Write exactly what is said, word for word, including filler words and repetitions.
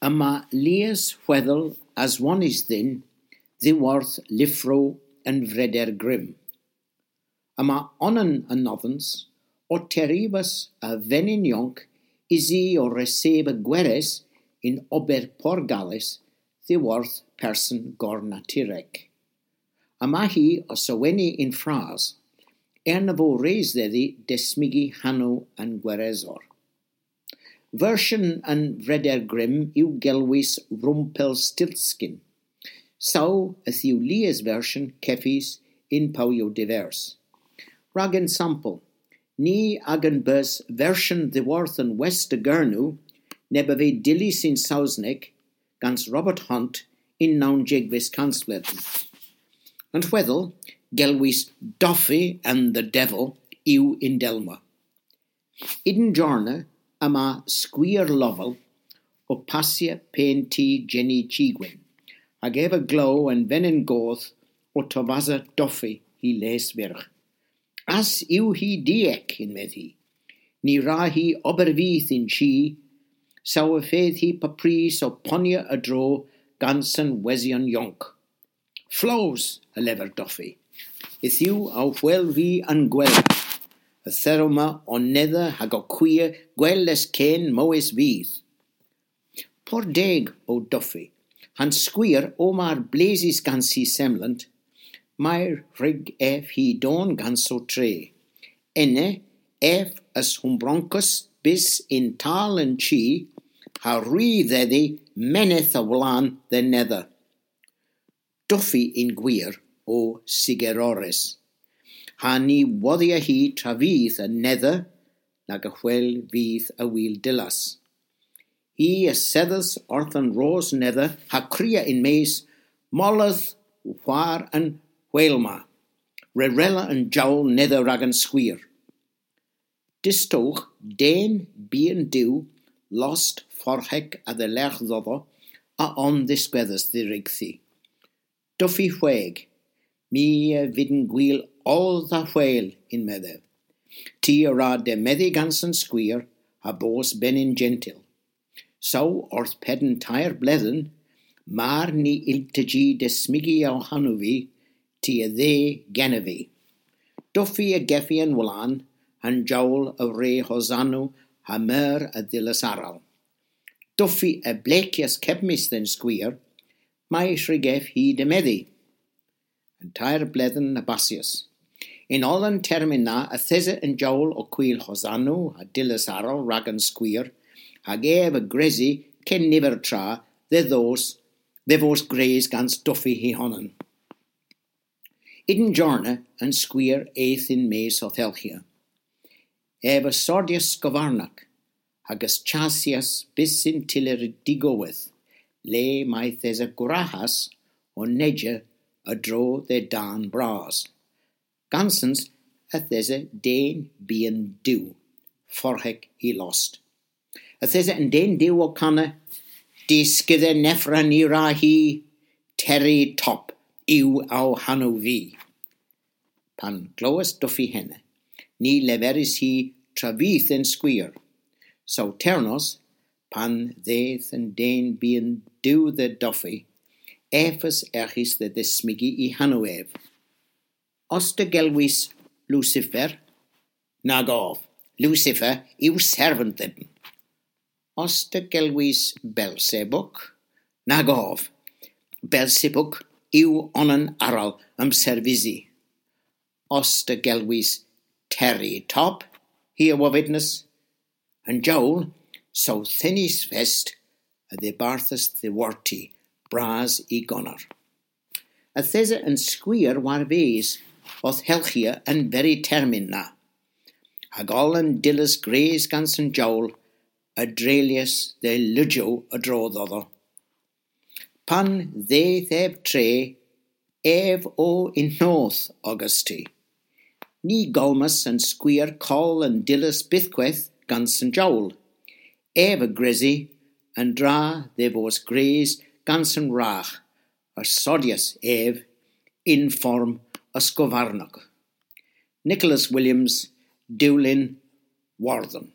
Yma lies hwedhel aswonys dhyn dhyworth lyvrow an Vreder Grimm. Yma onan anodhans ow terivas a venyn yonk usi ow reseba gweres yn ober porgales dhyworth person gornaturek. Yma hi ow sewena yn fras, erna vo res dhedhi desmygi hanow an gweresor. Versyon an Vreder Grimm yw gelwys Rumpelstiltskin. Saw yth yw lies versyon kevys yn powyow divers. Rag ensampel, ni a'gan bos versyon dhyworth an West a Gernow, neb a veu dyllys yn Sowsnek, gans Robert Hunt yn nownsegves kansbledhen. An hwedhel, gelwys Duffy and the Devil, yw yndellma. Y'n jorna yma skwir lovel ow passya pen-tŷ Jenny Chigwin, hag ev a glew an venyn goth ow tovasa Duffy hy les vyrgh. Ass yw hi diek, yn-medh hi. Ny wra hi ober vyth y'n chi, saw y fydh hi paprys ow ponya a-dro gans an wesyon yonk. Flows, a lever Duffy. Yth yw ow hwel vy an gwella. Yth erowgh hwi ow nedha hag ow kwia gwell es ken mowes vyth. Por deg o Duffy, ha'n skwir ow mar blesys gans hy semlant, may hwrug ev hy dorn gans ow tre. Ena, ev a's hunbronkas bys yn tal an chi, ha ri dhedhi menydh a-wolan dhe'n nedha. Duffy yn gwir o sigerorys. Ha ny wodhya hi travyth an nedha nag a hwel vyth a wul dillas. Hi a sedhas orth an ros nedha ha kria yn-mes, "Molydh war an hwel ma. Rerella an jowl nedha rag an skwir." Distowgh den byghan du lost forhek a-dhelergh dhodho a on dhiskwedhys dhirygthi. Duffy hweg, "My a vynn gwil oll dha hwel," yn-medh ev. "Ty a wra demedhi gans an skwir ha bos benyn jentyl." Saw orth penn teyr bledhen, mar ny yllta jy desmygi ow hanow vy, ty a dheu genev vy. Duffy a gevi an wolan, ha'n jowl a wre hosanow ha meur a dhillas arall. Duffy a blekyas kebmys dhe'n skwir, may hwrug ev hy demedhi. An teyr bledhen a bassyas. Yn oll an termyn na yth esa an jowl ow kwil hosanow ha dillas arall rag an skwir, hag ev a gresi ken niver tra dhe dhos, dhe vos gwrys gans Duffy hy honan. Y'n jorna an skwir eth yn-mes ow thelghya. Ev a sordyas skovarnak, hag a's chasyas bys yn tyller digoweth, le may'th esa gwrahas ow neyja a-dro dhe dân bras. Gansans yth esa den byghan du, forhek hy lost. Yth esa an den du ow kana, "Dy skudhel nevra ny wra hi, Terry Top yw ow hanow vy." Pan glewas Duffy henna, ny leveris hi travyth dhe'n skwir. Saw ternos, pan dheuth an den byghan du dhe Duffy, ev a's erghis dhe dhesmygi hy hanow ev. "Os ta gelwys Lucifer?" "Nag ov. Lucifer yw servant dhyn." "Os ta gelwys Belsebuk?" "Nag ov. Belsebuk yw onan arall a'm servysi." "Os ta gelwys Terry Top?" hi a wovynnas. An jowl, saw tennys fest, a dhibarthas dhiworti, bras y goner. Yth esa an skwir war-ves owth helghya an veri termyn na. Hag oll an dillas gwrys gans an jowl a dreylyas dhe lughow a-dro dhodho. Pan dheuth ev tre, ev o yn noth ogas ty. Ny golmas an skwir koll an dillas bythkweth gans an jowl. Ev a gresi an dra dhe vos gwrys gans an wragh, a sordyas ev yn form a skovarnak. Nicholas Williams, Dewlin Wardhon.